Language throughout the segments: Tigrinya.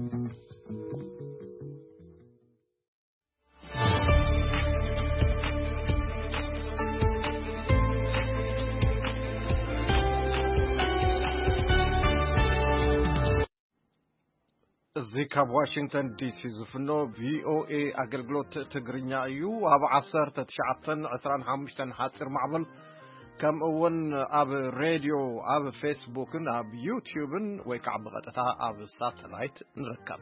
እዚ ካብ ዋሽንግተን ዲሲ ዝፍኖ ቪኦኤ ኣገልግሎት ትግርኛ እዩ። ኣብ ዓሰርተ ትሽዓተን ዕስራን ሓሙሽተን ሓፂር ማዕበል፣ ከምኡ እውን ኣብ ሬድዮ፣ ኣብ ፌስቡክን ኣብ ዩትዩብን ወይ ከዓ ብቐጥታ ኣብ ሳተላይት ንርከብ።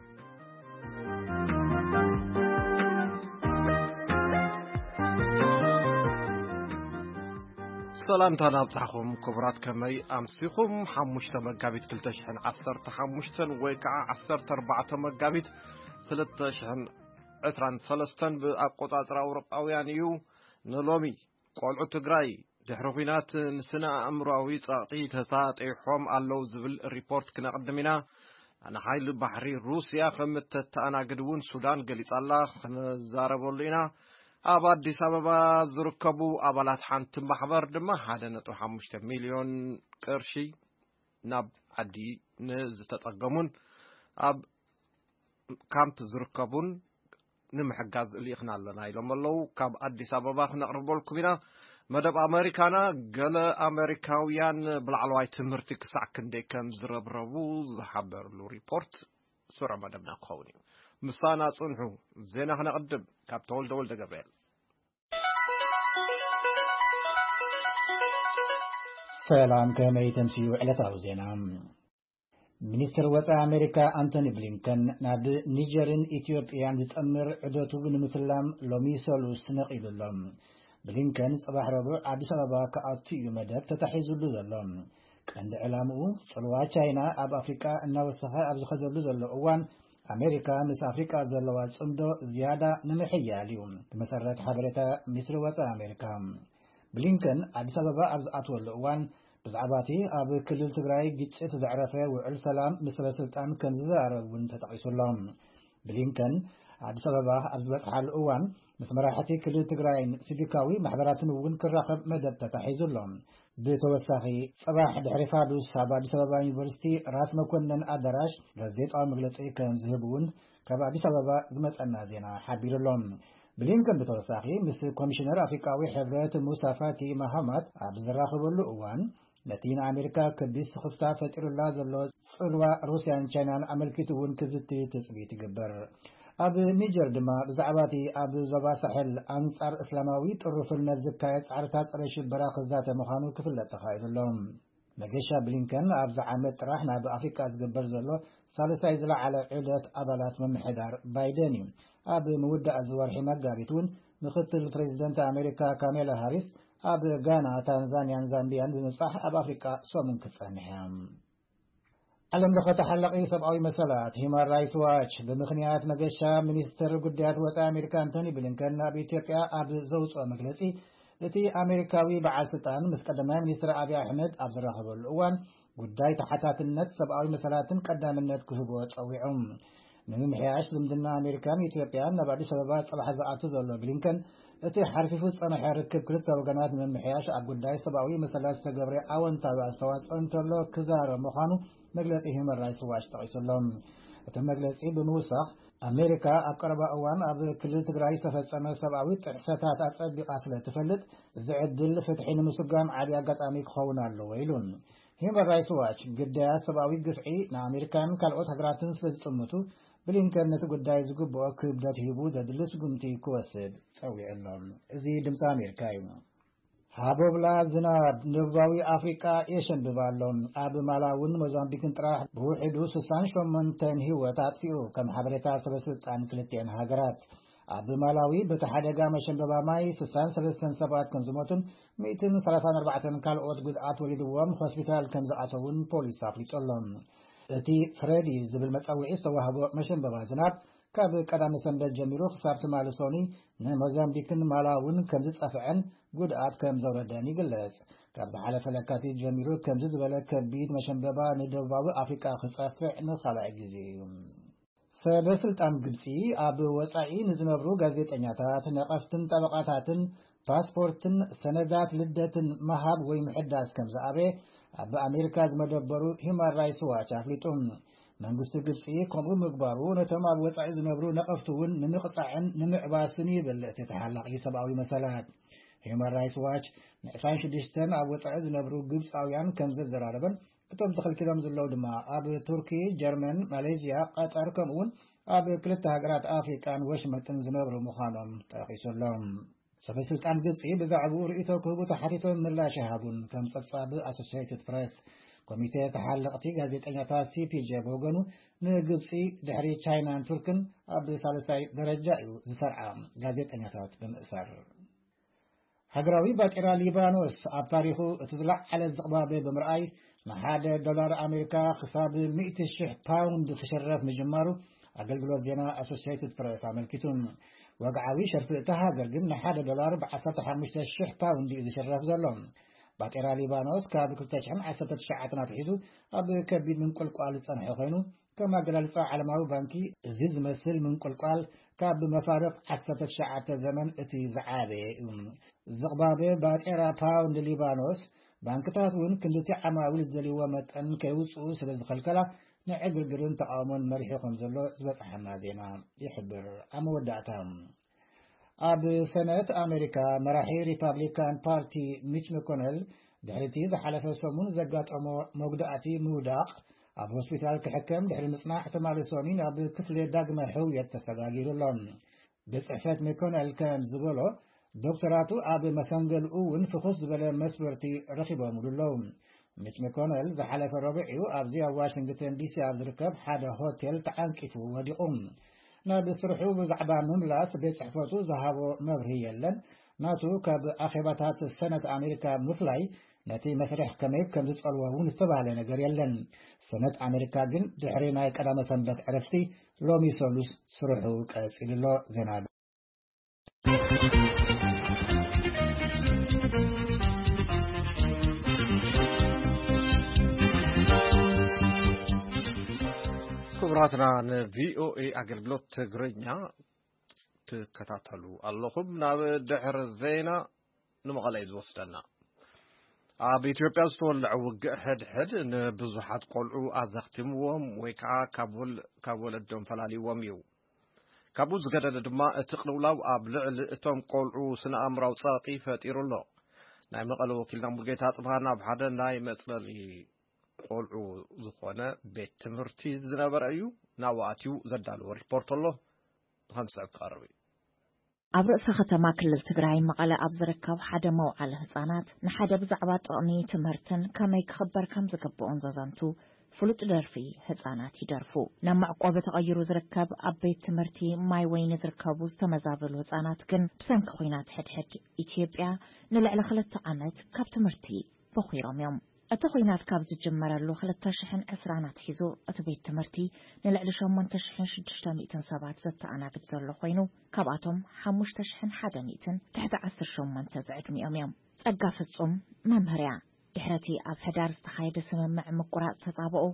ሰላምታ ናብጻኹም ክቡራት፣ ከመይ ኣምሲኹም? ሓሙሽተ መጋቢት ክልተ ሽሕን ዓሰርተ ሓሙሽተን ወይ ከዓ ዓሰርተ ኣርባዕተ መጋቢት ክልተ ሽሕን ዕስራን ሰለስተን ብኣቆጻጽራ ኣውሮጳውያን እዩ። ንሎሚ ቆልዑ ትግራይ ድሕሪ ኲናት ንስነ ኣእምሮኣዊ ጸቕጢ ተሳጢሖም ኣለዉ ዝብል ሪፖርት ክነቕድም ኢና። ንሓይሊ ባሕሪ ሩስያ ከም እተተኣናግድ እውን ሱዳን ገሊጻ ኣላ። ክንዛረበሉ ኢና። ኣብ ኣዲስ ኣበባ ዝርከቡ ኣባላት ሓንቲ ማሕበር ድማ ሓደ ነጥቢ ሓሙሽተ ሚልዮን ቅርሺ ናብ ዓዲ ንዝተጸገሙን ኣብ ካምፕ ዝርከቡን ንምሕጋዝ ልኢኽና ኣለና ኢሎም ኣለዉ። ካብ ኣዲስ ኣበባ ክነቕርበልኩም ኢና። መደብ ኣመሪካና፣ ገለ ኣመሪካውያን ብላዕለዋይ ትምህርቲ ክሳዕ ክንደይ ከም ዝረብረቡ ዝሓበርሉ ሪፖርት ስሩዕ መደብና ክኸውን እዩ። ምሳና ጽንሑ። ዜና ክነቕድም ካብ ተወልደ ወልደ ገብርኤል። ሰላም፣ ከመይ ተምስዩ ዕለታዊ ዜና? ሚኒስትር ወጻኢ ኣሜሪካ ኣንቶኒ ብሊንከን ናብ ኒጀርን ኢትዮጵያን ዝጠምር ዑደቱ ንምትላም ሎሚ ሰሉስ ነቒሉ ኣሎ። ብሊንከን ጽባሕ ረቡዕ ኣዲስ ኣበባ ክኣቱ እዩ መደብ ተታሒዙሉ ዘሎ። ቀንዲ ዕላምኡ፣ ጽልዋ ቻይና ኣብ ኣፍሪቃ እናወሰኸ ኣብ ዝኸደሉ ዘሎ እዋን፣ ኣሜሪካ ምስ ኣፍሪቃ ዘለዋ ጽምዶ ዝያዳ ንምሕያል እዩ፣ ብመሰረት ሓበሬታ ሚኒስትሪ ወጻኢ ኣሜሪካ። ብሊንከን ኣዲስ ኣበባ ኣብ ዝኣትወሉ እዋን፣ ብዛዕባ እቲ ኣብ ክልል ትግራይ ግጭት ዘዕረፈ ውዕል ሰላም ምስ ሰበስልጣን ከም ዝዘራረብ እውን ተጠቒሱ ኣሎ። ብሊንከን ኣዲስ ኣበባ ኣብ ዝበጽሓሉ እዋን፣ ምስ መራሕቲ ክልል ትግራይን ሲቪካዊ ማሕበራትን እውን ክራኸብ መደብ ተታሒዙ ኣሎ። ብተወሳኺ፣ ጽባሕ ድሕሪ ፋዱስ ኣብ ኣዲስ ኣበባ ዩኒቨርሲቲ ራስ መኮነን ኣዳራሽ ጋዜጣዊ መግለጺ ከም ዝህብ እውን ካብ ኣዲስ ኣበባ ዝመጸና ዜና ሓቢሩ ኣሎ። ብሊንከን ብተወሳኺ ምስ ኮሚሽነር ኣፍሪቃዊ ሕብረት ሙሳ ፋኪ ማሃማት ኣብ ዝራኸበሉ እዋን፣ ነቲ ንኣሜሪካ ከቢድ ስኽፍታ ፈጢሩላ ዘሎ ጽልዋ ሩስያን ቻይናን ኣመልኪቱ እውን ክዝቲ ትጽቢት ይግበር። ኣብ ኒጀር ድማ ብዛዕባ እቲ ኣብ ዞባ ሳሕል ኣንጻር እስላማዊ ጥሩፍነት ዝካየድ ጻዕርታት ጸረ ሽበራ ክዛተ ምዃኑ ክፍለጥ ተኻኢሉ ኣሎ። መገሻ ብሊንከን ኣብዚ ዓመት ጥራሕ ናብ ኣፍሪቃ ዝግበር ዘሎ ሳልሳይ ዝለዓለ ዑደት ኣባላት ምምሕዳር ባይደን እዩ። ኣብ ምውዳእ እዚ ወርሒ መጋቢት እውን ምክትል ፕሬዚደንት ኣሜሪካ ካሜላ ሃሪስ ኣብ ጋና፣ ታንዛንያን ዛምቢያን ብምብጻሕ ኣብ ኣፍሪቃ ሰሙን ክትጸንሕ እያ። ዓለም ለኸ ተሓላቒ ሰብኣዊ መሰላት ሂማን ራይትስ ዋች ብምኽንያት መገሻ ሚኒስትር ጉዳያት ወጻኢ ኣሜሪካ ኣንቶኒ ብሊንከን ናብ ኢትዮጵያ ኣብ ዘውጽኦ መግለጺ፣ እቲ ኣሜሪካዊ በዓል ስልጣን ምስ ቀዳማይ ሚኒስትር ኣብይ ኣሕመድ ኣብ ዝራኸበሉ እዋን፣ ጉዳይ ተሓታትነት ሰብኣዊ መሰላትን ቀዳምነት ክህቦ ጸዊዑ። ንምምሕያሽ ዝምድና ኣሜሪካን ኢትዮጵያን ናብ ኣዲስ ኣበባ ጽባሕ ዝኣቱ ዘሎ ብሊንከን፣ እቲ ሓርፊፉ ዝጸንሐ ርክብ ክልተ ወገናት ንምምሕያሽ ኣብ ጉዳይ ሰብኣዊ መሰላት ዝተገብረ ኣወንታዊ ኣስተዋጽኦ እንተሎ ክዛረብ ምዃኑ መግለጺ ሂውማን ራይትስ ዋች ጠቒሱ ኣሎ። እቲ መግለጺ ብምውሳኽ፣ ኣሜሪካ ኣብ ቀረባ እዋን ኣብ ክልል ትግራይ ዝተፈጸመ ሰብኣዊ ጥሕሰታት ኣጸቢቓ ስለ ትፈልጥ፣ እዚ ዕድል ፍትሒ ንምስጓም ዓቢ ኣጋጣሚ ክኸውን ኣለዎ ኢሉ። ሂውማን ራይትስ ዋች፣ ግዳያት ሰብኣዊ ግፍዒ ንኣሜሪካን ካልኦት ሃገራትን ስለ ዝጥምቱ፣ ብሊንከን ነቲ ጉዳይ ዝግብኦ ክብደት ሂቡ ዘድሊ ስጉምቲ ክወስድ ጸዊዑ ኣሎ። እዚ ድምጺ ኣሜሪካ እዩ። ሃቦብላ ዝናብ ንደቡባዊ ኣፍሪቃ የሸንብብ ኣሎ። ኣብ ማላውን ሞዛምቢክን ጥራሕ ብውሕዱ ስሳን ሸሞንተን ህይወት ኣጥፊኡ፣ ከም ሓበሬታ ሰበስልጣን ክልቲአን ሃገራት። ኣብ ማላዊ በቲ ሓደጋ መሸንበባ ማይ ስሳን ሰለስተን ሰባት ከም ዝሞቱን ሚእትን ሰላሳን ኣርባዕተን ካልኦት ጉድኣት ወሪድዎም ሆስፒታል ከም ዝኣተውን ፖሊስ ኣፍሊጡ ኣሎ። እቲ ፍሬዲ ዝብል መጸውዒ ዝተዋህቦ መሸንበባ ዝናብ ካብ ቀዳሚ ሰንበት ጀሚሩ ክሳብ ትማሊ ሶኒ ንሞዛምቢክን ማላውን ከም ዝጸፍዐን ጉድኣት ከም ዘውረደን ይግለጽ። ካብ ዝሓለፈ ለካቲት ጀሚሩ ከምዚ ዝበለ ከቢድ መሸንበባ ንደቡባዊ ኣፍሪቃ ክጸፍዕ ንኻልኣይ ግዜ እዩ። ሰበ ስልጣን ግብጺ ኣብ ወጻኢ ንዝነብሩ ጋዜጠኛታት፣ ነቐፍትን ጠበቓታትን ፓስፖርትን ሰነዳት ልደትን ምሃብ ወይ ምሕዳስ ከም ዝኣበየ ኣብ ኣሜሪካ ዝመደበሩ ሂውማን ራይትስ ዋች ኣፍሊጡ። መንግስቲ ግብጺ ከምኡ ምግባሩ ነቶም ኣብ ወጻኢ ዝነብሩ ነቐፍቲ እውን ንምቕጻዕን ንምዕባስን ይብል እቲ ተሓላቒ ሰብኣዊ መሰላት። ሂዩማን ራይትስ ዋች ን26 ኣብ ወጻኢ ዝነብሩ ግብጻውያን ከም ዘዘራረበን እቶም ተኸልኪሎም ዘለዉ ድማ ኣብ ቱርኪ፣ ጀርመን፣ ማሌዝያ፣ ቀጠር ከምኡውን ኣብ ክልተ ሃገራት ኣፍሪቃን ወሽመጥን ዝነብሩ ምዃኖም ጠቒሱ ኣሎ። ሰበስልጣን ግብጺ ብዛዕባኡ ርእይቶ ክህቡ ተሓቲቶም ምላሽ ይሃቡን ከም ጸብጻብ ኣሶሲየትድ ፕሬስ። ኮሚቴ ተሓለቕቲ ጋዜጠኛታት ሲፒጄ ብወገኑ ንግብጺ ድሕሪ ቻይናን ቱርክን ኣብ ሳልሳይ ደረጃ እዩ ዝሰርዓ ጋዜጠኛታት ብምእሳር። ሃገራዊ ባጤራ ሊባኖስ ኣብ ታሪኹ እቲ ዝለዓለ ዝቕባበ ብምርኣይ ንሓደ ዶላር ኣሜሪካ ክሳብ ሚእቲ ሽሕ ፓውንድ ክሽረፍ ምጅማሩ ኣገልግሎት ዜና ኣሶሲየትድ ፕሬስ ኣመልኪቱ። ወግዓዊ ሸርፊ እታ ሃገር ግን ንሓደ ዶላር ብ15,000 ፓውንድ እዩ ዝሽረፍ ዘሎ። ባጤራ ሊባኖስ ካብ 2019 ኣትሒዙ ኣብ ከቢድ ምንቁልቋል ዝጸንሐ ኮይኑ፣ ከም ኣገላልጻ ዓለማዊ ባንኪ፣ እዚ ዝመስል ምንቁልቋል ካብ መፋርቕ ዓሰርተ ትሽዓተ ዘመን እቲ ዝዓበየ እዩ። ዝቕባበ ባጤራ ፓውንድ ሊባኖስ፣ ባንክታት እውን ክንድቲ ዓማዊል ዝደልይዎ መጠን ከይውጽኡ ስለ ዝኸልከላ፣ ንዕግርግርን ተቓውሞን መሪሑ ከም ዘሎ ዝበጽሓና ዜና ይሕብር። ኣብ መወዳእታ፣ ኣብ ሰነት ኣሜሪካ መራሒ ሪፓብሊካን ፓርቲ ሚች መኮነል ድሕሪቲ ዝሓለፈ ሰሙን ዘጋጠሞ መጉዳእቲ ምውዳቕ፣ ኣብ ሆስፒታል ክሕከም ድሕሪ ምጽናሕ፣ ትማሊ ሰኑይ ናብ ክፍሊ ዳግመ ሕውየት ተሰጋጊሩ ኣሎ። ቤት ጽሕፈት መኮነል ከም ዝበሎ፣ ዶክተራቱ ኣብ መሰንገልኡ እውን ፍኹስ ዝበለ መስበርቲ ረኺቦምሉ ኣለዉ። ሚች መኮነል ዝሓለፈ ረቡዕ እዩ ኣብዚ ኣብ ዋሽንግተን ዲሲ ኣብ ዝርከብ ሓደ ሆቴል ተዓንቂፉ ወዲቑ። ናብ ስርሑ ብዛዕባ ምምላስ ቤት ጽሕፈቱ ዝሃቦ መብርሂ የለን። ናቱ ካብ ኣኼባታት ሰነት ኣሜሪካ ምፍላይ ነቲ መስርሕ ከመይ ከም ዝጸልዎ እውን ዝተባህለ ነገር የለን። ሰነት ኣሜሪካ ግን ድሕሪ ናይ ቀዳመ ሰንበት ዕረፍቲ ሎሚ ሰሉስ ስርሑ ቀጺሉ ኣሎ። ዜና ክቡራትና ንቪኦኤ ኣገልግሎት ትግርኛ ትከታተሉ ኣለኹም። ናብ ድሕሪ ዜና ንመቐለ እዩ ዝወስደና። ኣብ ኢትዮጵያ ዝተወለዐ ውግእ ሕድሕድ ንብዙሓት ቆልዑ ኣዘኽቲምዎም ወይ ከዓ ካብ ወል-፣ ካብ ወለዶም ፈላሊዎም እዩ። ካብኡ ዝገደደ ድማ እቲ ቅልውላው ኣብ ልዕሊ እቶም ቆልዑ ስነ ኣእምራዊ ጸቕጢ ፈጢሩ ኣሎ። ናይ መቐለ ወኪልና ሙልጌታ ጽብሃ ናብ ሓደ ናይ መጽለሊ ቆልዑ ዝኾነ ቤት ትምህርቲ ዝነበረ እዩ። ናብኡ ኣትዩ ዘዳለዎ ሪፖርት ኣሎ፣ ብኸም ዝስዕብ ክቐርብ እዩ። ኣብ ርእሰ ከተማ ክልል ትግራይ መቐለ ኣብ ዝርከብ ሓደ መውዓሊ ህፃናት ንሓደ ብዛዕባ ጥቕሚ ትምህርትን ከመይ ክኽበር ከም ዝግብኦን ዘዘንቱ ፍሉጥ ደርፊ ህፃናት ይደርፉ። ናብ መዕቆቢ ተቐይሩ ዝርከብ ኣብ ቤት ትምህርቲ ማይ ወይኒ ዝርከቡ ዝተመዛበሉ ህፃናት ግን ብሰንኪ ኹናት ሕድሕድ ኢትዮጵያ ንልዕሊ ክልተ ዓመት ካብ ትምህርቲ በኺሮም እዮም። እቲ ኹናት ካብ ዝጅመረሉ ክልተ ሽሕን ዕስራን ኣትሒዙ እቲ ቤት ትምህርቲ ንልዕሊ ሸሞንተ ሽሕን ሽዱሽተ ሚእትን ሰባት ዘተኣናግድ ዘሎ ኮይኑ፣ ካብኣቶም ሓሙሽተ ሽሕን ሓደ ሚእትን ትሕቲ ዓሰርተ ሸሞንተ ዝዕድሚኦም እዮም። ጸጋ ፍጹም መምህር እያ። ድሕረቲ ኣብ ሕዳር ዝተኻየደ ስምምዕ ምቁራጽ ተጻብኦ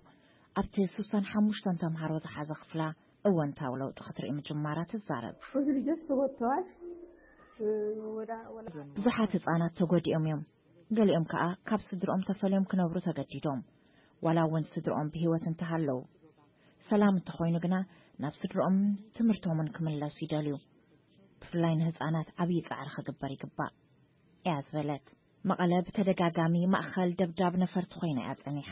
ኣብቲ ስሳን ሓሙሽተን ተምሃሮ ዝሓዘ ክፍላ እወንታዊ ለውጢ ክትርኢ ምጅማራ ትዛረብ። ብዙ ልጆች ተጎድተዋል። ወዳ-፣ ወላ-፣ ብዙሓት ህጻናት ተጎዲኦም እዮም። ገሊኦም ከኣ ካብ ስድርኦም ተፈልዮም ክነብሩ ተገዲዶም። ዋላ እውን ስድርኦም ብህይወት እንተሃለዉ፣ ሰላም እንተኾይኑ ግና ናብ ስድርኦምን ትምህርቶምን ክምለሱ ይደልዩ። ብፍላይ ንህጻናት ዓብዪ ጻዕሪ ክግበር ይግባእ እያ ዝበለት። መቐለ ብተደጋጋሚ ማእኸል ደብዳብ ነፈርቲ ኮይና እያ ጸኒሓ።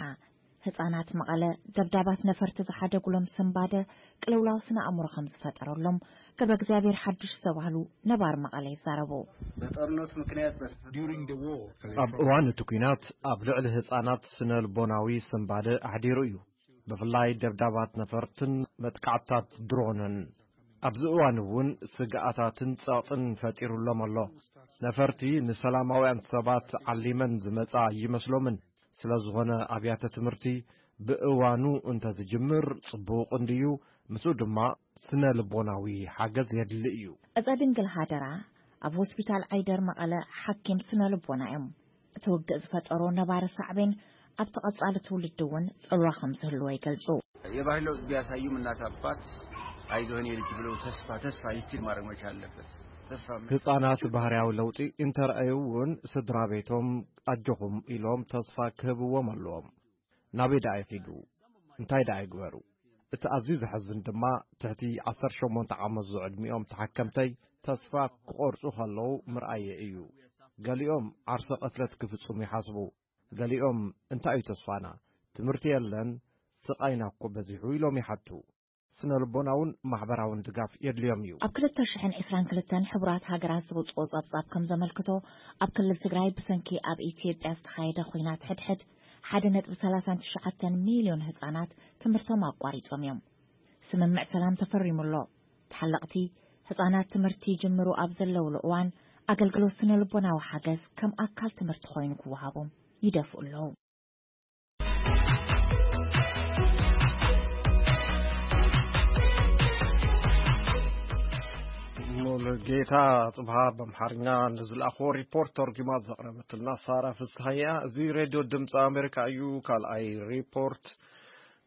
ህጻናት መቐለ ደብዳባት ነፈርቲ ዝሓደጉሎም ስንባደ ቅልውላው ስነ ኣእምሮ ከም ዝፈጠረሎም ገብረ እግዚኣብሔር ሓዱሽ ዝተባህሉ ነባር መቐለ ይዛረቡ። በጦርነቱ ምክንያት በተፈጠረው During the war, ኣብ እዋን እቲ ኲናት ኣብ ልዕሊ ህጻናት ስነ ልቦናዊ ስንባደ ኣሕዲሩ እዩ። ብፍላይ ደብዳባት ነፈርትን መጥቃዕትታት ድሮንን። ኣብዚ እዋን እውን ስግኣታትን ጸቕጥን ፈጢሩሎም ኣሎ። ነፈርቲ ንሰላማውያን ሰባት ዓሊመን ዝመጻ ኣይመስሎምን። ስለ ዝኾነ ኣብያተ ትምህርቲ ብእዋኑ እንተዝጅምር ጽቡቕ እንድዩ። ምስኡ ድማ ስነ ልቦናዊ ሓገዝ የድሊ እዩ። እፀ ድንግል ሃደራ ኣብ ሆስፒታል ዓይደር መቐለ ሓኪም ስነ ልቦና እዮም። እቲ ውግእ ዝፈጠሮ ነባሪ ሳዕቤን ኣብቲ ቀጻሊ ትውልዲ እውን ጽልዋ ከም ዝህልዎ ይገልጹ። የባህል ለውጥ ቢያሳዩም እናት አባት አይዞህን የልጅ ብለው ተስፋ፣ ተስፋ ኢንስቲል ማድረግ መቻል አለበት። ተስፋ መ- ህጻናት ባህርያዊ ለውጢ እንተረኣዩ እውን ስድራ ቤቶም ኣጆኹም ኢሎም ተስፋ ክህብዎም ኣለዎም። ናበይ ደኣ ይኺዱ? እንታይ ደኣ ይግበሩ? እቲ ኣዝዩ ዘሕዝን ድማ ትሕቲ ዓሰርተ ሸሞንተ ዓመት ዝዕድሚኦም ተሓከምተይ ተስፋ ክቖርጹ ከለዉ ምርኣየ እዩ። ገሊኦም ዓርሰ ቅትለት ክፍጽሙ ይሓስቡ። ገሊኦም እንታይ እዩ ተስፋና? ትምህርቲ የለን፣ ስቓይና እኮ በዚሑ ኢሎም ይሓቱ። ስነ ልቦናውን ማሕበራውን ድጋፍ የድልዮም እዩ። ኣብ ክልተ ሽሕን ዕስራን ክልተን ሕቡራት ሃገራት ዝወፅኦ ጸብጻብ ከም ዘመልክቶ፣ ኣብ ክልል ትግራይ ብሰንኪ ኣብ ኢትዮጵያ ዝተኻየደ ኹናት ሕድሕድ ሓደ ነጥቢ ሰላሳን ትሽዓተን ሚልዮን ህጻናት ትምህርቶም ኣቋሪጾም እዮም። ስምምዕ ሰላም ተፈሪሙ ኣሎ። ተሓለቕቲ ህጻናት ትምህርቲ ይጅምሩ ኣብ ዘለውሉ እዋን፣ ኣገልግሎት ስነ ልቦናዊ ሓገዝ ከም ኣካል ትምህርቲ ኮይኑ ክወሃቦም ይደፍኡ ኣለዉ። ሙሉጌታ ጽብሃ ብኣምሓርኛ ንዝለኣኽዎ ሪፖርት ተርጉማ ዘቕረበትልና ሳራ ፍስሃያ። እዚ ሬድዮ ድምፂ ኣሜሪካ እዩ። ካልኣይ ሪፖርት፣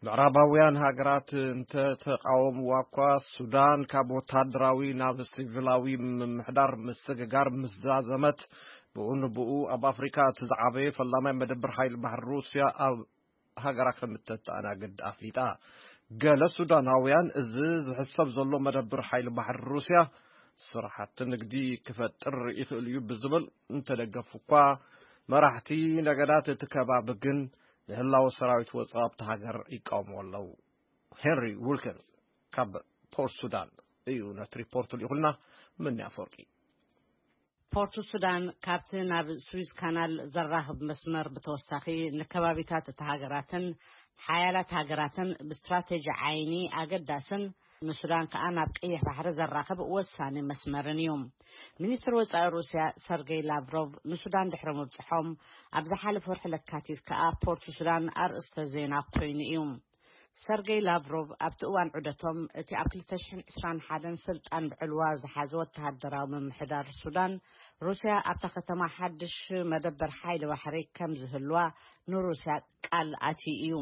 ምዕራባውያን ሃገራት እንተተቃወምዋ እኳ፣ ሱዳን ካብ ወታደራዊ ናብ ሲቪላዊ ምምሕዳር ምስግጋር ምስ ዛዘመት፣ ብኡ ንብኡ ኣብ ኣፍሪካ እቲ ዝዓበየ ፈላማይ መደብር ሓይሊ ባሕሪ ሩስያ ኣብ ሃገራ ከም እተተኣናግድ ኣፍሊጣ። ገለ ሱዳናውያን፣ እዚ ዝሕሰብ ዘሎ መደብር ሓይሊ ባሕሪ ሩስያ ስራሕቲ ንግዲ ክፈጥር ይኽእል እዩ ብዝብል እንተደገፉ እኳ፣ መራሕቲ ነገዳት እቲ ከባቢ ግን ንህላወ ሰራዊት ወጻኢ ኣብቲ ሃገር ይቃወምዎ ኣለዉ። ሄንሪ ዊልኪንስ ካብ ፖርት ሱዳን እዩ ነቲ ሪፖርት ልኢኹልና። ምኒ ኣፈወርቂ። ፖርት ሱዳን ካብቲ ናብ ስዊዝ ካናል ዘራኽብ መስመር ብተወሳኺ፣ ንከባቢታት እቲ ሃገራትን ሓያላት ሃገራትን ብስትራቴጂ ዓይኒ ኣገዳስን ንሱዳን ከኣ ናብ ቀይሕ ባሕሪ ዘራኽብ ወሳኒ መስመርን እዩ። ሚኒስትር ወጻኢ ሩስያ ሰርጌይ ላቭሮቭ ንሱዳን ድሕሪ ምብጽሖም፣ ኣብ ዝሓለፈ ወርሒ ለካቲት ከኣ ፖርት ሱዳን ኣርእስተ ዜና ኮይኑ እዩ። ሰርጌይ ላቭሮቭ ኣብቲ እዋን ዑደቶም፣ እቲ ኣብ ክልተ ሽሕን ዕስራን ሓደን ስልጣን ብዕልዋ ዝሓዘ ወተሃደራዊ ምምሕዳር ሱዳን፣ ሩስያ ኣብታ ከተማ ሓድሽ መደበር ሓይሊ ባሕሪ ከም ዝህልዋ ንሩስያ ቃል ኣትዩ እዩ።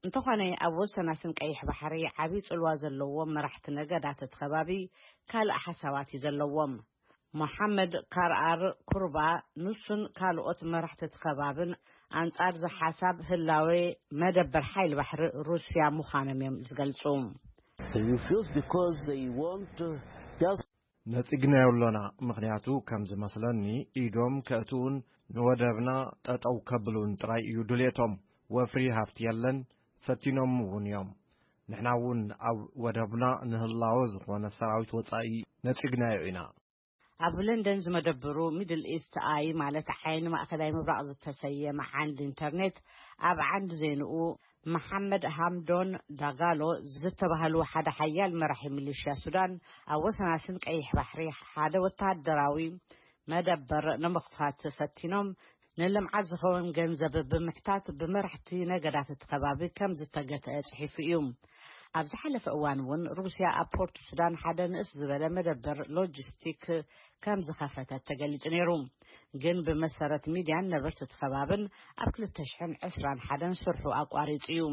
እንተኾነ፣ ኣብ ወሰናስን ቀይሕ ባሕሪ ዓቢ ጽልዋ ዘለዎም መራሕቲ ነገዳት እቲ ከባቢ ካልእ ሓሳባት እዩ ዘለዎም። ሞሓመድ ካርኣር ኩርባ፣ ንሱን ካልኦት መራሕቲ እቲ ከባብን ኣንጻር እዚ ሓሳብ ህላዌ መደበር ሓይሊ ባሕሪ ሩስያ ምዃኖም እዮም ዝገልጹ። They refuse because they want to just ነጺግናዮ ኣሎና፣ ምኽንያቱ ከም ዝመስለኒ ኢዶም ከእትዉን ንወደብና ጠጠው ከብሉን ጥራይ እዩ ድልየቶም። ወፍሪ ሃፍቲ የለን፣ ፈቲኖም እውን እዮም። ንሕና እውን ኣብ ወደብና ንህላወ ዝኾነ ሰራዊት ወጻኢ ነጺግናዮ ኢና። ኣብ ለንደን ዝመደብሩ ሚድል ኢስት ኣይ፣ ማለት ዓይኒ ማእከላይ ምብራቕ ዝተሰየመ ዓንዲ ኢንተርኔት፣ ኣብ ዓንዲ ዜንኡ፣ መሓመድ ሃምዶን ዳጋሎ ዝተባህሉ ሓደ ሓያል መራሒ ሚሊሽያ ሱዳን፣ ኣብ ወሰናስን ቀይሕ ባሕሪ ሓደ ወተሃደራዊ መደበር ንምኽፋት ፈቲኖም፣ ንልምዓት ዝኸውን ገንዘብ ብምሕታት ብመራሕቲ ነገዳት እቲ ከባቢ ከም ዝተገትአ ጽሒፉ እዩ። ኣብ ዝሓለፈ እዋን እውን ሩስያ ኣብ ፖርት ሱዳን ሓደ ንእስ ዝበለ መደበር ሎጂስቲክ ከም ዝኸፈተት ተገሊጹ ነይሩ። ግን ብመሰረት ሚድያን ነበርቲ እቲ ከባብን ኣብ ክልተ ሽሕን ዕስራን ሓደን ስርሑ ኣቋሪጹ እዩ።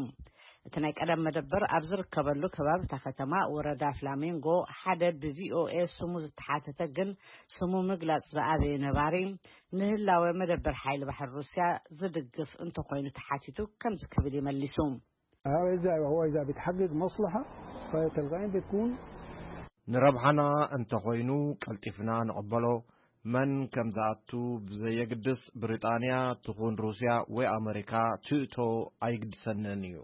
እቲ ናይ ቀደም መደበር ኣብ ዝርከበሉ ከባቢ እታ ከተማ ወረዳ ፍላሜንጎ ሓደ ብቪኦኤ ስሙ ዝተሓተተ ግን ስሙ ምግላጽ ዝኣበየ ነባሪ ንህላወ መደበር ሓይሊ ባሕሪ ሩስያ ዝድግፍ እንተኾይኑ ተሓቲቱ ከምዚ ክብል እዩ መሊሱ። هذا إذا هو إذا بتحقق مصلحة فيتلقائم بتكون ንረብሓና እንተኾይኑ ቀልጢፍና ንቕበሎ። መን ከም ዝኣቱ ብዘየግድስ ብሪጣንያ ትኹን ሩስያ ወይ ኣመሪካ ትእቶ ኣይግድሰንን እዩ።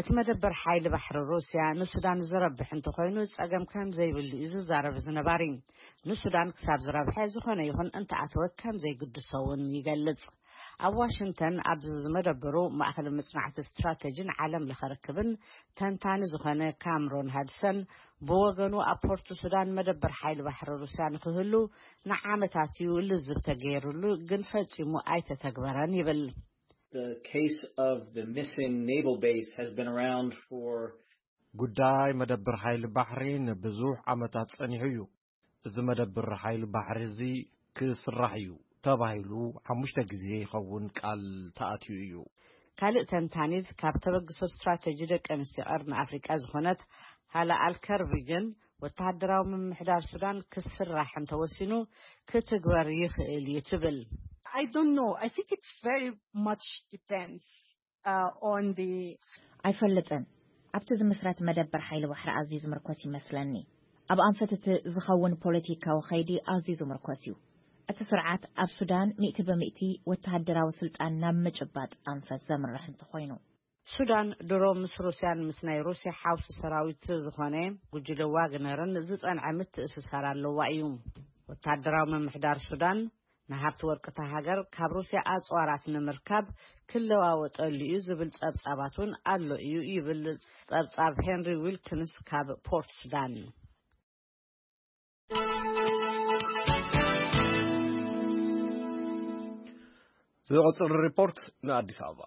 እቲ መደበር ሓይሊ ባሕሪ ሩስያ ንሱዳን ዝረብሕ እንተኾይኑ ጸገም ከም ዘይብሉ እዩ ዝዛረብ እዚ ነባሪ። ንሱዳን ክሳብ ዝረብሐ ዝኾነ ይኹን እንተኣተወ ከም ዘይግድሶ እውን ይገልጽ። ኣብ ዋሽንግተን ኣብ ዝመደበሩ ማእኸል መጽናዕቲ ስትራተጂን ዓለም ለኸ ርክብን ተንታኒ ዝኾነ ካምሮን ሃድሰን ብወገኑ ኣብ ፖርት ሱዳን መደበር ሓይሊ ባሕሪ ሩስያ ንክህሉ ንዓመታት እዩ ልዝብ ተገይሩሉ፣ ግን ፈጺሙ ኣይተተግበረን ይብል። The case of the missing naval base has been around for ጉዳይ መደብር ሓይሊ ባሕሪ ንብዙሕ ዓመታት ጸኒሑ እዩ። እዚ መደብር ሓይሊ ባሕሪ እዚ ክስራሕ እዩ ተባሂሉ ሓሙሽተ ግዜ ይኸውን ቃል ተኣትዩ እዩ። ካልእ ተንታኒት ካብ ተበግሶ ስትራተጂ ደቂ ኣንስትዮ ቀርኒ ኣፍሪቃ ዝኾነት ሃላ ኣልከርቢ ግን ወተሃደራዊ ምምሕዳር ሱዳን ክስራሕ እንተወሲኑ ክትግበር ይኽእል እዩ ትብል። I don't know. I think it's very much depends uh, on the ኣይፈልጥን። ኣብቲ ዝምስረት መደበር ሓይሊ ባሕሪ ኣዝዩ ዝምርኮስ ይመስለኒ። ኣብ ኣንፈት እቲ ዝኸውን ፖለቲካዊ ኸይዲ ኣዝዩ ዝምርኮስ እዩ። እቲ ስርዓት ኣብ ሱዳን ሚእቲ ብሚእቲ ወተሃደራዊ ስልጣን ናብ ምጭባጥ ኣንፈት ዘምርሕ እንተኾይኑ። ሱዳን ድሮ ምስ ሩስያን ምስ ናይ ሩስያ ሓውሲ ሰራዊት ዝኾነ ጉጅለ ዋግነርን ዝጸንዐ ምትእስሳር ኣለዋ እዩ። ወተሃደራዊ ምምሕዳር ሱዳን ንሃብቲ ወርቂ እታ ሃገር ካብ ሩስያ ኣጽዋራት ንምርካብ ክለዋወጠሉ እዩ ዝብል ጸብጻባት እውን ኣሎ እዩ ይብል ጸብጻብ ሄንሪ ዊልኪንስ ካብ ፖርት ሱዳን። ዝቕጽል ሪፖርት ንኣዲስ ኣበባ።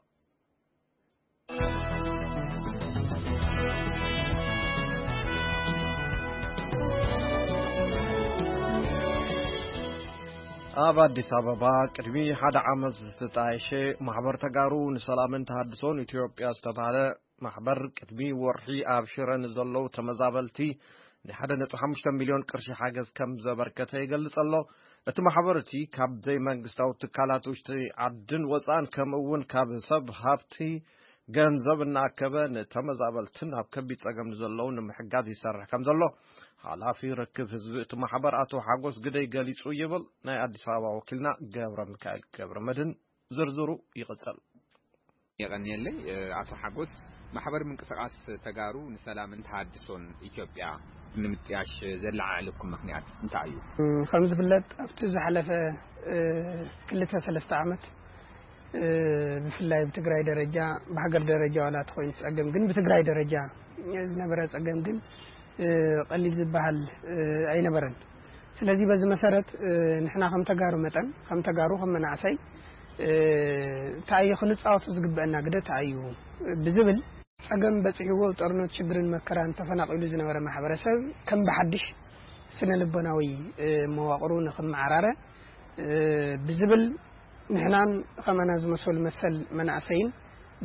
ኣብ ኣዲስ ኣበባ ቅድሚ ሓደ ዓመት ዝተጣየሸ ማሕበር ተጋሩ ንሰላምን ተሃድሶን ኢትዮጵያ ዝተባህለ ማሕበር ቅድሚ ወርሒ ኣብ ሽረ ንዘለዉ ተመዛበልቲ ናይ ሓደ ነጥቢ ሓሙሽተ ሚልዮን ቅርሺ ሓገዝ ከም ዘበርከተ ይገልጽ ኣሎ። እቲ ማሕበር እቲ ካብ ዘይመንግስታዊ ትካላት ውሽጢ ዓድን ወጻእን ከምኡ እውን ካብ ሰብ ሃብቲ ገንዘብ እናኣከበ ንተመዛበልትን ኣብ ከቢድ ጸገም ንዘለዉ ንምሕጋዝ ይሰርሕ ከም ዘሎ ሓላፊ ርክብ ህዝቢ እቲ ማሕበር ኣቶ ሓጎስ ግደይ ገሊጹ ይብል ናይ ኣዲስ ኣበባ ወኪልና ገብረ ሚካኤል ገብረ መድህን። ዝርዝሩ ይቕጽል። የቐንየለይ፣ እ፣ ኣቶ ሓጎስ፣ ማሕበር ምንቅስቓስ ተጋሩ ንሰላምን ተሃድሶን ኢትዮጵያ ንምጥያሽ ዘለዓዕለኩም ምኽንያት እንታይ እዩ? እም፣ ከም ዝፍለጥ፣ ኣብቲ ዝሓለፈ፣ እ፣ ክልተ ሰለስተ ዓመት፣ እ፣ ብፍላይ ብትግራይ ደረጃ፣ ብሃገር ደረጃ ዋላ ተኾይኑ ጸገም፣ ግን ብትግራይ ደረጃ ዝነበረ ጸገም ግን፣ እ፣ ቀሊል ዝበሃል፣ እ፣ ኣይነበረን። ስለዚ በዚ መሰረት፣ እ፣ ንሕና ከም ተጋሩ መጠን፣ ከም ተጋሩ፣ ከም መናእሰይ፣ እ፣ እንታይ እዩ ክንጻወቶ ዝግበአና ግደ እንታይ እዩ ብዝብል ጸገም በጺሕዎ ብጦርነት ሽግርን መከራን ተፈናቒሉ ዝነበረ ማሕበረሰብ ከም ብሓድሽ ስነ ልቦናዊ፣ እ፣ መዋቕሩ ንኽመዓራረ፣ እ፣ ብዝብል ንሕናን ኸማና ዝመሰሉ መሰል መናእሰይን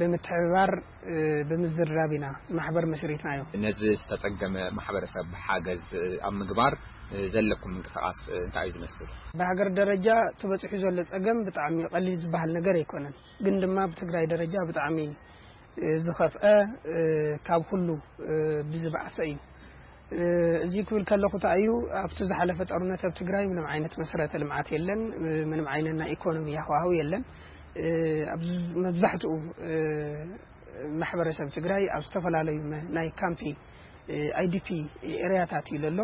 ብምትሕብባር፣ እ፣ ብምዝርራብ ኢና እዚ ማሕበር መስሪትናዮ። ነዚ ዝተጸገመ ማሕበረሰብ ሓገዝ፣ እ፣ ኣብ ምግባር፣ እ፣ ዘለኩም ምንቅስቓስ፣ እ፣ እንታይ እዩ ዝመስል? ብሃገር ደረጃ ተበጺሑ ዘሎ ጸገም ብጣዕሚ ቀሊል ዝበሃል ነገር ኣይኮነን። ግን ድማ ብትግራይ ደረጃ ብጣዕሚ፣ እ፣ ዝኸፍአ፣ እ፣ ካብ ኩሉ፣ እ፣ ብዝበኣሰ እዩ። እ፣ እዚ ክብል ከለኹ እንታይ እዩ፣ ኣብቲ ዝሓለፈ ጦርነት ኣብ ትግራይ ምንም ዓይነት መሰረተ ልምዓት የለን፣ እ፣ ምንም ዓይነት ናይ ኢኮኖሚ ሃዋህው የለን። እ፣ ኣብ መብዛሕትኡ፣ እ፣ ማሕበረሰብ ትግራይ ኣብ ዝተፈላለዩ መ-፣ ናይ ካምፒ፣ እ፣ ኣይ ዲ ፒ ኤርያታት እዩ ዘሎ።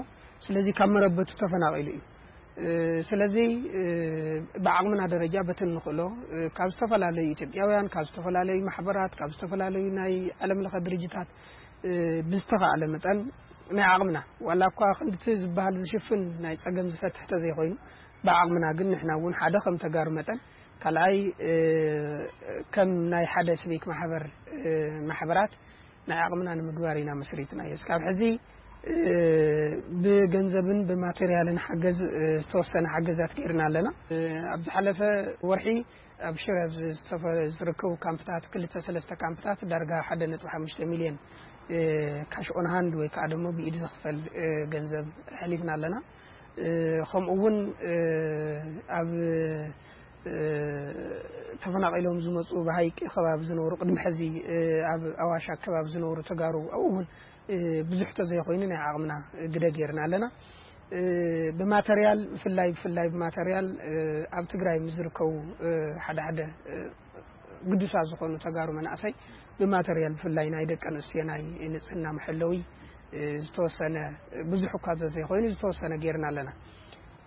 ስለዚ ካብ መረበቱ ተፈናቒሉ እዩ። እ፣ ስለዚ፣ እ፣ ብዓቕምና ደረጃ በቲ እንኽእሎ፣ እ፣ ካብ ዝተፈላለዩ ኢትዮጵያውያን፣ ካብ ዝተፈላለዩ ማሕበራት፣ ካብ ዝተፈላለዩ ናይ ዓለም ለኸ ድርጅታት፣ እ፣ ብዝተኻእለ መጠን ናይ ዓቕምና፣ ዋላ እኳ ክንድቲ ዝበሃል ዝሽፍን ናይ ጸገም ዝፈትሕ ተዘይኮይኑ፣ ብዓቕምና ግን ንሕና እውን ሓደ ከም ተጋሩ መጠን፣ ካልኣይ፣ እ፣ ከም ናይ ሓደ ሲቪክ ማሕበር፣ እ፣ ማሕበራት ናይ ዓቕምና ንምግባር ኢና መስሪትናዮ። እስካብ ሕዚ፣ እ፣ ብገንዘብን ብማቴርያልን ሓገዝ፣ እ፣ ዝተወሰነ ሓገዛት ገይርና ኣለና። እ፣ ኣብ ዝሓለፈ ወርሒ ኣብ ሽረ ኣብ ዝተፈ-፣ ዝርከቡ ካምፕታት፣ ክልተ ሰለስተ ካምፕታት ዳርጋ ሓደ ነጥቢ ሓሙሽተ ሚልዮን፣ እ፣ ካሽ ኦን ሃንድ ወይ ከዓ ደሞ ብኢድ ዝኽፈል፣ እ፣ ገንዘብ ኣሕሊፍና ኣለና። እ፣ ከምኡ እውን፣ እ፣ ኣብ፣ እ፣ ተፈናቒሎም ዝመፁ ብሃይቂ ከባቢ ዝነብሩ፣ ቅድሚ ሕዚ፣ እ፣ ኣብ ኣዋሽ ኣከባቢ ዝነብሩ ተጋሩ ኣብኡ እውን፣ እ፣ ብዙሕ ተዘይኮይኑ ናይ ዓቕምና ግደ ገይርና ኣለና። እ፣ ብማተርያል፣ ብፍላይ፣ ብፍላይ ብማተርያል፣ እ፣ ኣብ ትግራይ ምስ ዝርከቡ፣ እ፣ ሓደ ሓደ፣ እ፣ ግዱሳት ዝኾኑ ተጋሩ መናእሰይ ብማተርያል፣ ብፍላይ ናይ ደቂ ኣንስትዮ ናይ ንጽህና መሐለዊ፣ እ፣ ዝተወሰነ፣ ብዙሕ እኳ ዘዘይኮይኑ ዝተወሰነ ገይርና ኣለና።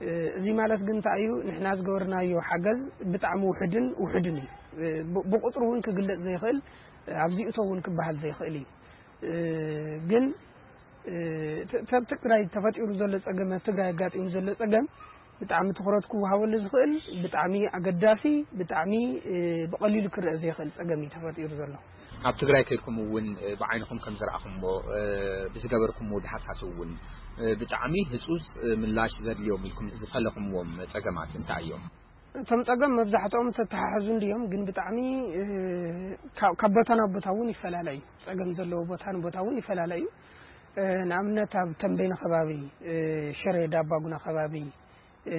እ፣ እዚ ማለት ግን እንታይ እዩ? ንሕና ዝገበርናዮ ሓገዝ ብጣዕሚ ውሑድን ውሑድን እዩ። እ፣ ብ-፣ ብቁጽሪ እውን ክግለጽ ዘይኽእል፣ እ፣ ኣብዚኡ እቶ እውን ክበሃል ዘይኽእል እዩ። እ፣ ግን፣ እ፣ ተ-፣ ተ-፣ ትግራይ ተፈጢሩ ዘሎ ጸገም፣ ኣብ ትግራይ ኣጋጢሙ ዘሎ ጸገም ብጣዕሚ ትኹረት ክወሃበሉ ዝኽእል፣ ብጣዕሚ ኣገዳሲ፣ ብጣዕሚ፣ እ፣ ብቐሊሉ ክረአ ዘይኽእል ጸገም እዩ ተፈጢሩ ዘሎ። ኣብ ትግራይ ከይድኩም እውን፣ እ፣ ብዓይንኹም ከም ዝረኣኹምዎ፣ እ፣ ብዝገበርኩምዎ ዳህሳስ እውን፣ እ፣ ብጣዕሚ ህጹጽ፣ እ፣ ምላሽ ዘድልዮም ኢልኩም ዝፈለኹምዎም ጸገማት እንታይ እዮም? እቶም ጸገም መብዛሕትኦም ተተሓሕዙ እንድዮም፣ ግን ብጣዕሚ፣ እ፣ ካብ፣ ካብ ቦታ ናብ ቦታ እውን ይፈላለ እዩ። ጸገም ዘለዎ ቦታ ንቦታ እውን ይፈላለ እዩ። እ፣ ንኣብነት ኣብ ተንቤን ከባቢ፣ እ፣ ሽረ ዳባጉና ከባቢ፣ እ፣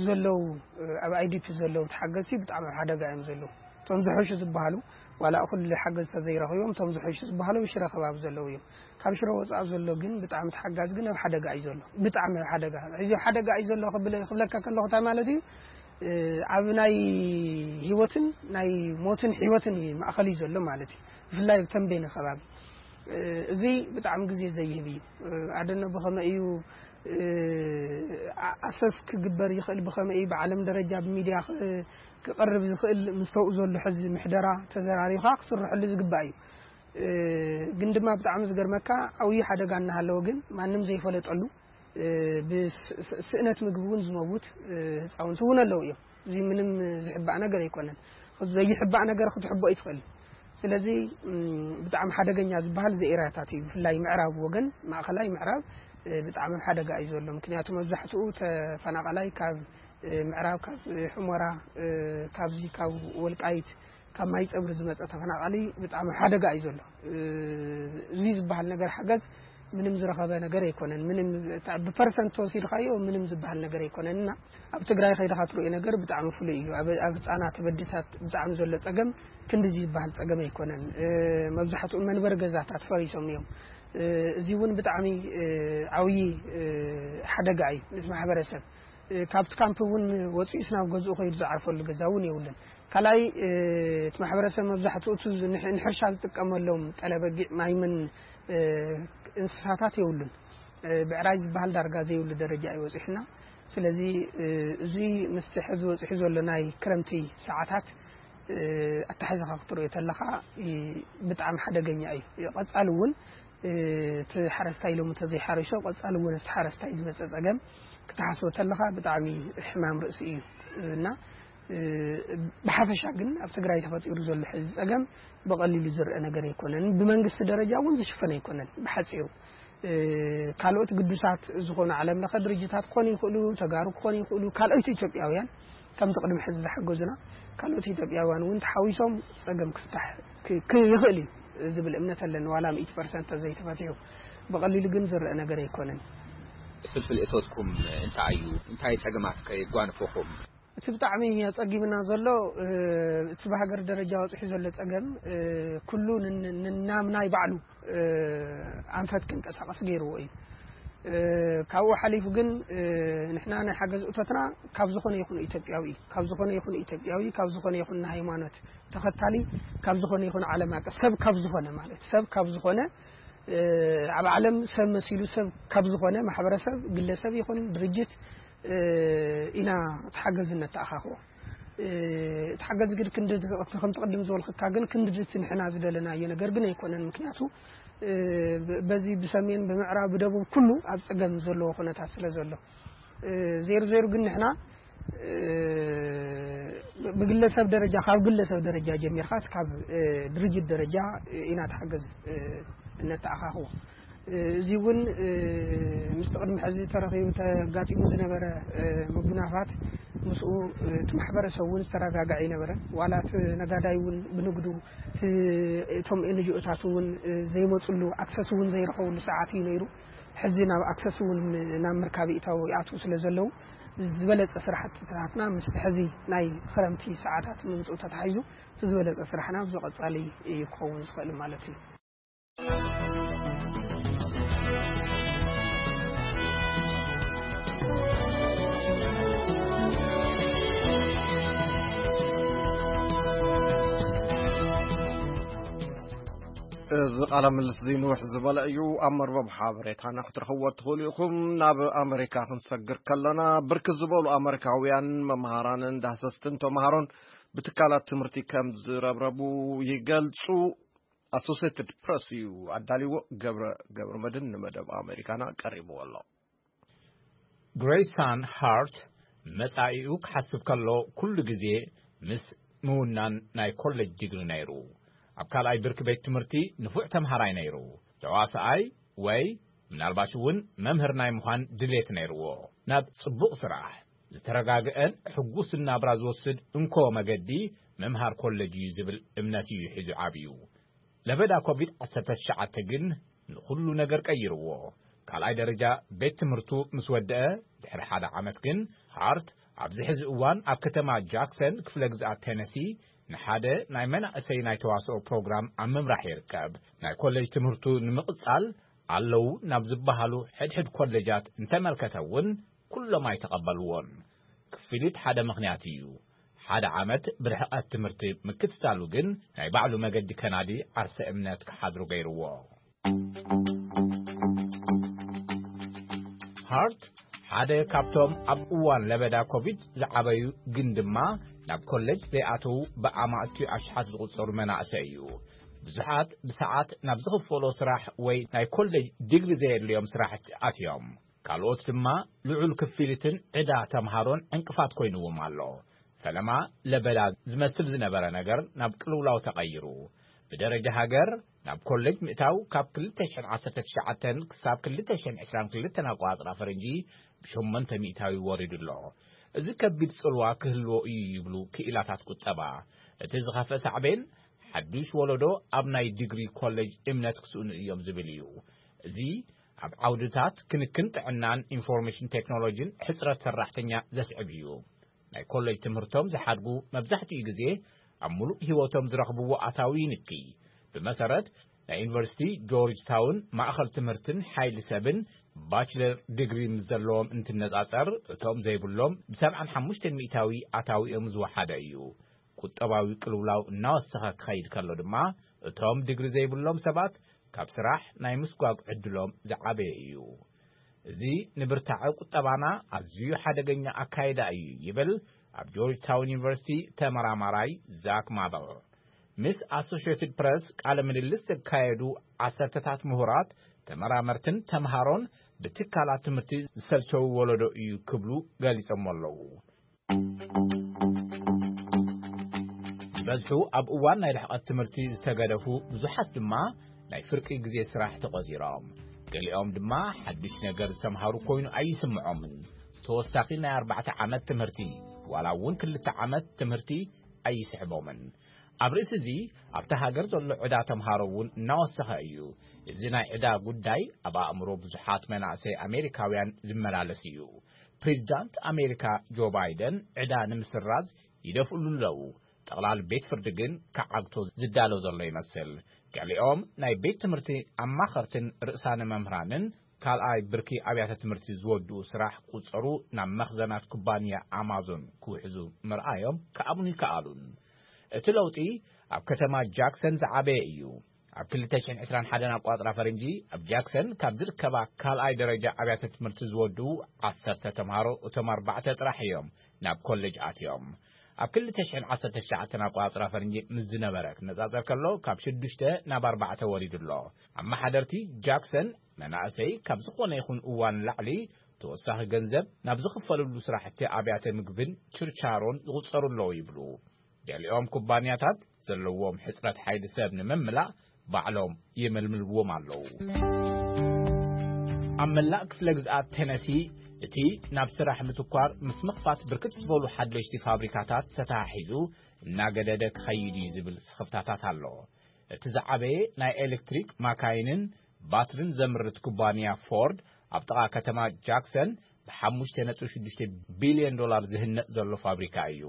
ዘለዉ፣ እ፣ ኣብ ኣይ ዲ ፒ ዘለዉ ተሓገዝቲ ብጣዕሚ ኣብ ሓደጋ እዮም ዘለዉ። እቶም ዝሕሹ ዝበሃሉ ዋላ ኩሉ ሓገዝ ተዘይረኺቦም፣ እቶም ዝሕሹ ዝበሃሉ ኣብ ሽረ ከባቢ ዘለዉ እዮም። ካብ ሽረ ወፃእ ዘሎ ግን ብጣዕሚ ተሓጋዚ ግን ኣብ ሓደጋ እዩ ዘሎ። ብጣዕሚ ኣብ ሓደጋ። እዚ ኣብ ሓደጋ እዩ ዘሎ ክብል-፣ ክብለካ ከለኹ እንታይ ማለት እዩ? እ፣ ኣብ ናይ ህይወትን ናይ ሞትን ህይወትን እዩ ማእኸል እዩ ዘሎ ማለት እዩ። ብፍላይ ኣብ ተንቤን ከባቢ። እ፣ እዚ ብጣዕሚ ግዜ ዘይህብ እዩ። እ፣ ኣደነ ብኸመይ እዩ፣ እ፣ ኣ-፣ ኣሰስ ክግበር ይኽእል፣ ብኸመይ እዩ ብዓለም ደረጃ ብሚድያ ክ-፣ ክቐርብ ዝኽእል፣ ምስተኡ ዘሎ ሕዚ ምሕደራ ተዘራሪኻ ክስርሐሉ ዝግባእ እዩ። እ፣ ግን ድማ ብጣዕሚ ዝገርመካ፣ ዓብዪ ሓደጋ እናሃለወ ግን ማንም ዘይፈለጠሉ፣ እ፣ ብስ-፣ ስ-፣ ስእነት ምግቢ እውን ዝመውት፣ እ፣ ህፃውንቲ እውን ኣለዉ እዮም። እዚ ምንም ዝሕባእ ነገር ኣይኮነን። ዘይሕባእ ነገር ክትሕቦ ይትኽእል። ስለዚ፣ እም፣ ብጣዕሚ ሓደገኛ ዝበሃል እዚ ኤርያታት እዩ። ብፍላይ ምዕራብ ወገን፣ ማእኸላይ ምዕራብ፣ እ፣ ብጣዕሚ ኣብ ሓደጋ እዩ ዘሎ። ምክንያቱ መብዛሕትኡ ተፈናቓላይ ካብ፣ እ፣ ምዕራብ፣ ካብ፣ እ፣ ሑመራ፣ እ፣ ካብዚ ካብ ወልቃይት፣ ካብ ማይ ፀብሪ ዝመፀ ተፈናቓሊ ብጣዕሚ ኣብ ሓደጋ እዩ ዘሎ። እ፣ እዚ ዝበሃል ነገር ሓገዝ ምንም ዝረኸበ ነገር ኣይኮነን። ምንም፣ እታ ብፐርሰንት ተወሲድካዮ ምንም ዝበሃል ነገር ኣይኮነን። እና ኣብ ትግራይ ከይድኻ ትርእዮ ነገር ብጣዕሚ ፍሉይ እዩ። ኣብ፣ ኣብ ህፃናት፣ ኣብ ኣዴታት ብጣዕሚ ዘሎ ፀገም ክንድዚ ዝበሃል ፀገም ኣይኮነን። እ፣ መብዛሕትኡ መንበሪ ገዛታት ፈሪሶም እዮም። እ፣ እዚ እውን ብጣዕሚ፣ እ፣ ዓብዪ፣ እ፣ ሓደጋ እዩ ነቲ ማሕበረሰብ። እ፣ ካብቲ ካምፕ እውን ወፂኡስ ናብ ገዝኡ ከይዱ ዝዓርፈሉ ገዛ እውን የብሉን። ካልኣይ፣ እ፣ እቲ ማሕበረሰብ መብዛሕትኡ እቲ ዝ-፣ ንሕ-፣ ንሕርሻ ዝጥቀመሎም ጠለበጊዕ፣ ማይምን፣ እ፣ እንስሳታት የብሉን። እ፣ ብዕራይ ዝበሃል ዳርጋ ዘይብሉ ደረጃ እዩ በፂሑና። ስለዚ፣ እ፣ እዚ ምስቲ ሕዚ በፂሑ ዘሎ ናይ ክረምቲ ሰዓታት፣ እ፣ ኣተሓሒዝካ ክትሪኦ ተለኻ፣ እ፣ ብጣዕሚ ሓደገኛ እዩ። ቀፃሊ እውን፣ እ፣ እቲ ሓረስታይ ሎሚ እንተዘይሓሪሱ፣ ቀፃሊ እውን እቲ ሓረስታይ ዝመፀ ፀገም ክትሓስቦ ተለኻ ብጣዕሚ ሕማም ርእሲ እዩ። እና፣ እ፣ ብሓፈሻ ግን ኣብ ትግራይ ተፈጢሩ ዘሎ ሕዚ ፀገም ብቐሊሉ ዝረአ ነገር ኣይኮነን። ብመንግስቲ ደረጃ እውን ዝሽፈን ኣይኮነን። ብሓፂሩ፣ እ፣ ካልኦት ግዱሳት ዝኾኑ ዓለም ለኸ ድርጅታት ክኾኑ ይኽእሉ፣ ተጋሩ ክኾኑ ይኽእሉ፣ ካልኦት ኢትዮጵያውያን ከምቲ ቅድሚ ሕዚ ዝሓገዙና ካልኦት ኢትዮጵያውያን እውን ተሓዊሶም ፀገም ክፍታሕ ክ-፣ ክ-፣ ይኽእል እዩ ዝብል እምነት ኣለኒ። ዋላ ሚእቲ ፐርሰንት ተዘይተፈቲሑ ብቐሊሉ ግን ዝረአ ነገር ኣይኮነን። ፍልፍል እቶትኩም እንታይ እዩ? እንታይ ፀገማት ከ የጓንፈኹም? እቲ ብጣዕሚ ኣጸጊምና ዘሎ፣ እ፣ እቲ ብሃገር ደረጃ ወጺሑ ዘሎ ጸገም፣ እ፣ ኩሉ ንን-፣ ንናምናይ ባዕሉ፣ እ፣ ኣንፈት ክንቀሳቐስ ገይርዎ እዩ። እ፣ ካብኡ ሓሊፉ ግን፣ እ፣ ንሕና ናይ ሓገዝ እቶትና ካብ ዝኾነ ይኹን ኢትዮጵያዊ፣ ካብ ዝኾነ ይኹን ኢትዮጵያዊ፣ ካብ ዝኾነ ይኹን ሃይማኖት ተኸታሊ፣ ካብ ዝኾነ ይኹን ዓለም ኣቀፍ ሰብ ካብ ዝኾነ ማለት ሰብ ካብ ዝኾነ፣ እ፣ ኣብ ዓለም ሰብ መሲሉ ሰብ ካብ ዝኾነ ማሕበረሰብ፣ ግለሰብ ይኹን ድርጅት፣ እ፣ ኢና እቲ ሓገዝ እነተኣኻኽቦ። እ፣ እቲ ሓገዝ ግን ክንዲ፣ ከምቲ ቅድም ዝበልኩካ ግን ክንዲ እቲ ንሕና ዝደለናዮ ነገር ግን ኣይኮነን። ምክንያቱ፣ እ፣ ብ-፣ በዚ ብሰሜን፣ ብምዕራብ፣ ብደቡብ ኩሉ ኣብ ጸገም ዘለዎ ኩነታት ስለ ዘሎ። እ፣ ዜሩ ዜሩ ግን ንሕና፣ እ፣ ብግለሰብ ደረጃ፣ ካብ ግለሰብ ደረጃ ጀሚርካስ ካብ፣ እ፣ ድርጅት ደረጃ፣ እ፣ ኢና ተሓገዝ፣ እ፣ እነተኣኻኽቦ። እ፣ እዚ እውን፣ እ፣ ምስቲ ቅድሚ ሕዚ ተረኺቡ ተጋጢሙ ዝነበረ፣ እ፣ ምጉናፋት ምስኡ፣ እ፣ እቲ ማሕበረሰብ እውን ዝተረጋግዐ ኣይነበረን። ዋላ እቲ ነጋዳይ እውን ብንግዱ፣ እቲ፣ እቶም ኤንጂኦታት እውን፣ እ፣ ዘይመፅሉ፣ ኣክሰስ እውን ዘይረኸብሉ ሰዓት እዩ ነይሩ። ሕዚ ናብ ኣክሰስ እውን ናብ ምርካብ ይእተው ይኣትዉ ስለ ዘለዉ፣ ዝበለፀ ስራሕትታትና ምስ ሕዚ ናይ ክረምቲ ሰዓታት ምምፅኡ ተታሒዙ፣ እቲ ዝበለፀ ስራሕና ኣብዚ ቀፃሊ እዩ ክኸውን ዝኽእል ማለት እዩ። እዚ ቃለ ምልልስ እዚ ንውሕ ዝበለ እዩ። ኣብ መርበብ ሓበሬታና ክትረኽብዎ ትኽእሉ ኢኹም። ናብ ኣመሪካ ክንሰግር ከለና፣ ብርክት ዝበሉ ኣመሪካውያን መምሃራንን ዳህሰስትን ተምሃሮን ብትካላት ትምህርቲ ከም ዝረብረቡ ይገልጹ። ኣሶሴትድ ፕረስ እዩ ኣዳልዎ። ገብረ፣ ገብረ መድህን ንመደብ ኣመሪካና ቀሪብዎ ኣሎ። ግሬይሳን ሃርት መጻኢኡ ክሓስብ ከሎ ኩሉ ግዜ ምስ ምውናን ናይ ኮሌጅ ዲግሪ ነይሩ። ኣብ ካልኣይ ብርኪ ቤት ትምህርቲ ንፉዕ ተምሃራይ ነይሩ። ተዋሳኣይ ወይ ምናልባሽ እውን መምህር ናይ ምዃን ድሌት ነይርዎ። ናብ ጽቡቕ ስራሕ፣ ዝተረጋግአን ሕጉስን ናብራ ዝወስድ እንኮ መገዲ ምምሃር ኮሌጅ እዩ ዝብል እምነት እዩ ሒዙ ዓብዩ። ለበዳ ኮቪድ ዓሰርተ ትሽዓተ ግን ንኹሉ ነገር ቀይርዎ። ካልኣይ ደረጃ ቤት ትምህርቱ ምስ ወደአ ድሕሪ ሓደ ዓመት ግን ሃርት ኣብዚ ሕዚ እዋን ኣብ ከተማ ጃክሰን ክፍለ ግዝኣት ቴነሲ ንሓደ ናይ መናእሰይ ናይ ተዋስኦ ፕሮግራም ኣብ ምምራሕ ይርከብ። ናይ ኮሌጅ ትምህርቱ ንምቕጻል ኣለዉ ናብ ዝበሃሉ ሕድሕድ ኮሌጃት እንተመልከተ እውን ኩሎም ኣይተቐበልዎን። ክፍሊት ሓደ ምኽንያት እዩ። ሓደ ዓመት ብርሕቐት ትምህርቲ ምክትታሉ ግን ናይ ባዕሉ መገዲ ከናዲ ዓርሰ እምነት ክሓድሩ ገይርዎ። ሃርት ሓደ ካብቶም ኣብ እዋን ለበዳ ኮቪድ ዝዓበዩ ግን ድማ ናብ ኮሌጅ ዘይኣተዉ ብኣማእቲ ኣሽሓት ዝቑጸሩ መናእሰይ እዩ። ብዙሓት ብሰዓት ናብ ዝኽፈሎ ስራሕ ወይ ናይ ኮሌጅ ዲግሪ ዘየድልዮም ስራሕቲ ኣትዮም። ካልኦት ድማ ልዑል ክፍሊትን ዕዳ ተምሃሮን ዕንቅፋት ኮይንዎም ኣሎ። ፈለማ ለበዳ ዝመስል ዝነበረ ነገር ናብ ቅልውላው ተቐይሩ። ብደረጃ ሃገር ናብ ኮሌጅ ምእታው ካብ ክልተ ሽሕን ዓሰርተ ትሽዓተን ክሳብ ክልተ ሽሕን ዕስራን ክልተን ኣቆጻጽራ ፈረንጂ ብሸሞንተ ሚእታዊ ወሪዱ ኣሎ። እዚ ከቢድ ጽልዋ ክህልዎ እዩ ይብሉ ክኢላታት ቁጠባ። እቲ ዝኸፍአ ሳዕቤን ሓዱሽ ወለዶ ኣብ ናይ ዲግሪ ኮሌጅ እምነት ክስእኑ እዮም ዝብል እዩ። እዚ ኣብ ዓውድታት ክንክን ጥዕናን ኢንፎርሜሽን ቴክኖሎጂን ሕጽረት ሰራሕተኛ ዘስዕብ እዩ። ናይ ኮሌጅ ትምህርቶም ዝሓድጉ መብዛሕትኡ ግዜ ኣብ ሙሉእ ህይወቶም ዝረኽብዎ ኣታዊ ይንኪ። ብመሰረት ናይ ዩኒቨርሲቲ ጆርጅ ታውን ማእኸል ትምህርትን ሓይሊ ሰብን ባችለር ዲግሪ ምስ ዘለዎም እንትነጻጸር እቶም ዘይብሎም ብ75% ኣታዊኦም ዝወሓደ እዩ። ቁጠባዊ ቅልውላው እናወሰኸ ክኸይድ ከሎ ድማ እቶም ዲግሪ ዘይብሎም ሰባት ካብ ስራሕ ናይ ምስጓግ ዕድሎም ዝዓበየ እዩ። እዚ ንብርታዐ ቁጠባና ኣዝዩ ሓደገኛ ኣካይዳ እዩ ይብል ኣብ ጆርጅ ታውን ዩኒቨርሲቲ ተመራማራይ ዛክ ማበል። ምስ ኣሶሽየትድ ፕረስ ቃለ ምልልስ ዘካየዱ ዓሰርተታት ምሁራት ተመራመርትን ተምሃሮን ብትካላት ትምህርቲ ዝሰልቸው ወለዶ እዩ ክብሉ ገሊጾም ኣለዉ። በዝሑ ኣብ እዋን ናይ ርሕቐት ትምህርቲ ዝተገደፉ ብዙሓት ድማ ናይ ፍርቂ ግዜ ስራሕ ተቖጺሮም። ገሊኦም ድማ ሓድሽ ነገር ዝተምሃሩ ኮይኑ ኣይስምዖምን። ተወሳኺ ናይ ኣርባዕተ ዓመት ትምህርቲ ዋላ እውን ክልተ ዓመት ትምህርቲ ኣይስሕቦምን። ኣብ ርእሲ እዚ ኣብታ ሃገር ዘሎ ዕዳ ተምሃሮ እውን እናወሰኸ እዩ። እዚ ናይ ዕዳ ጉዳይ ኣብ ኣእምሮ ብዙሓት መናእሰይ ኣሜሪካውያን ዝመላለስ እዩ። ፕሬዚዳንት ኣሜሪካ ጆ ባይደን ዕዳ ንምስራዝ ይደፍእሉ ኣለዉ። ጠቕላል ቤት ፍርዲ ግን ክዓግቶ ዝዳሎ ዘሎ ይመስል። ገሊኦም ናይ ቤት ትምህርቲ ኣማኸርትን ርእሳነ መምህራንን ካልኣይ ብርኪ ኣብያተ ትምህርቲ ዝወድኡ ስራሕ ቁጸሩ ናብ መኽዘናት ኩባንያ ኣማዞን ክውሕዙ ምርኣዮም ክኣምኑ ይከኣሉን። እቲ ለውጢ ኣብ ከተማ ጃክሰን ዝዓበየ እዩ። ኣብ ክልተ ሽሕን ዕስራን ሓደን ኣቋጽራ ፈረንጂ ኣብ ጃክሰን ካብ ዝርከባ ካልኣይ ደረጃ ኣብያተ ትምህርቲ ዝወድኡ ዓሰርተ ተምሃሮ እቶም ኣርባዕተ ጥራሕ እዮም ናብ ኮሌጅ ኣትዮም። ኣብ ክልተ ሽሕን ዓሰርተ ትሽዓተን ኣቋጽራ ፈረንጂ ምስ ዝነበረ ክነጻጸር ከሎ ካብ ሽዱሽተ ናብ ኣርባዕተ ወሪዱ ኣሎ። ኣመሓደርቲ ጃክሰን መናእሰይ ካብ ዝኾነ ይኹን እዋን ላዕሊ ተወሳኺ ገንዘብ ናብ ዝኽፈልሉ ስራሕቲ ኣብያተ ምግብን ችርቻሮን ይቑጸሩ ኣለዉ ይብሉ። ገሊኦም ኩባንያታት ዘለዎም ሕጽረት ሓይሊ ሰብ ንምምላእ ባዕሎም ይምልምልዎም ኣለዉ። ኣብ መላእ ክፍለ ግዝኣት ቴነሲ እቲ ናብ ስራሕ ምትኳር ምስ ምኽፋት ብርክት ዝበሉ ሓደሽቲ ፋብሪካታት ተተሓሒዙ እናገደደ ክኸይድ እዩ ዝብል ስኽፍታታት ኣሎ። እቲ ዝዓበየ ናይ ኤሌክትሪክ ማካይንን ባትሪን ዘምርት ኩባንያ ፎርድ ኣብ ጥቓ ከተማ ጃክሰን ብ5.6 ቢልዮን ዶላር ዝህነጽ ዘሎ ፋብሪካ እዩ።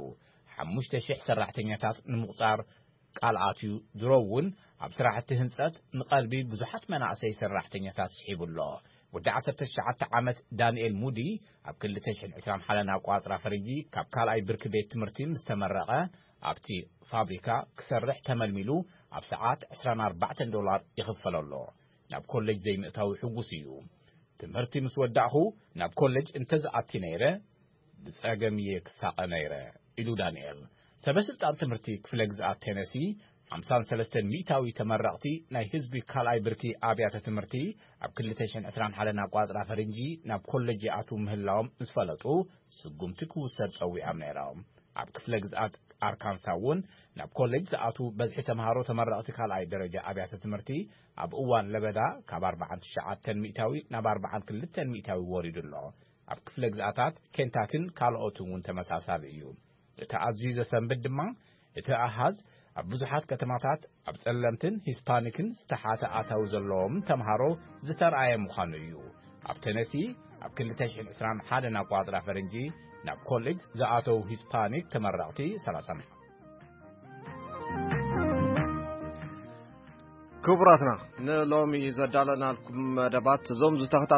ሓሙሽተ ሽሕ ሰራሕተኛታት ንምቑጻር ቃል ኣትዩ። ድሮ እውን ኣብ ስራሕቲ ህንጸት ንቐልቢ ብዙሓት መናእሰይ ሰራሕተኛታት ስሒቡ ኣሎ። ወዲ ዓሰርተ ትሽዓተ ዓመት ዳንኤል ሙዲ ኣብ ክልተ ሽሕን ዕስራን ሓደን ኣቋጽራ ፈረንጂ ካብ ካልኣይ ብርኪ ቤት ትምህርቲ ምስ ተመረቐ ኣብቲ ፋብሪካ ክሰርሕ ተመልሚሉ ኣብ ሰዓት ዕስራን ኣርባዕተን ዶላር ይኽፈሎ ኣሎ። ናብ ኮሌጅ ዘይምእታው ሕጉስ እዩ። ትምህርቲ ምስ ወዳእኹ ናብ ኮሌጅ እንተዝኣቲ ነይረ ብጸገም እየ ክሳቐ ነይረ ኢሉ ዳንኤል። ሰበ ስልጣን ትምህርቲ ክፍለ ግዝኣት ቴነሲ ሓምሳን ሰለስተን ሚእታዊ ተመረቕቲ ናይ ህዝቢ ካልኣይ ብርኪ ኣብያተ ትምህርቲ ኣብ ክልተ ሽሕን ዕስራን ሓደን ኣቋጽራ ፈረንጂ ናብ ኮሌጅ ይኣትዉ ምህላዎም ምስ ፈለጡ ስጉምቲ ክውሰድ ጸዊዖም ነይሮም። ኣብ ክፍለ ግዝኣት ኣርካንሳ እውን ናብ ኮሌጅ ዝኣትዉ በዝሒ ተምሃሮ ተመረቕቲ ካልኣይ ደረጃ ኣብያተ ትምህርቲ ኣብ እዋን ለበዳ ካብ ኣርባዓን ትሽዓተን ሚእታዊ ናብ ኣርባዓን ክልተን ሚእታዊ ወሪዱ ኣሎ። ኣብ ክፍለ ግዝኣታት ኬንታክን ካልኦትን እውን ተመሳሳሊ እዩ። እቲ ኣዝዩ ዘሰንብድ ድማ እቲ ኣሃዝ ኣብ ብዙሓት ከተማታት ኣብ ጸለምትን ሂስፓኒክን ዝተሓተ ኣታዊ ዘለዎም ተምሃሮ ዝተርኣየ ምዃኑ እዩ። ኣብ ቴነሲ ኣብ ክልተ ሽሕን ዕስራን ሓደን ኣቋጽራ ፈረንጂ ናብ ኮሌጅ ዝኣተዉ ሂስፓኒክ ተመረቕቲ ሰላሳ ክቡራትና፣ ንሎሚ ዘዳለናልኩም መደባት እዞም ዝተኸታተሉ